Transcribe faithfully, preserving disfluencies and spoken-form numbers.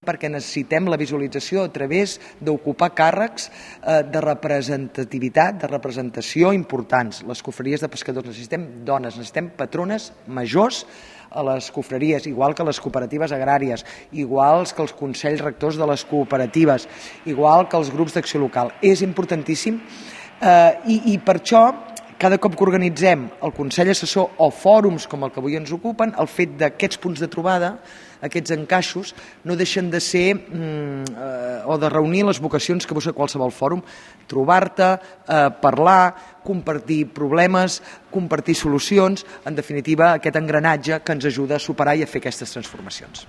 perquè necessitem la visualització a través d'ocupar càrrecs eh, de representativitat, de representació importants. Les confraries de pescadors necessitem dones, necessitem patrones majors a les confraries, igual que les cooperatives agràries, igual que els consells rectors de les cooperatives, igual que els grups d'acció local. És importantíssim eh, i, i per això cada cop que organitzem el Consell Assessor o fòrums com el que avui ens ocupen, el fet d'aquests punts de trobada, aquests encaixos, no deixen de ser mm, eh, o de reunir les vocacions que busca qualsevol fòrum, trobar-te, eh, parlar, compartir problemes, compartir solucions, en definitiva aquest engranatge que ens ajuda a superar i a fer aquestes transformacions.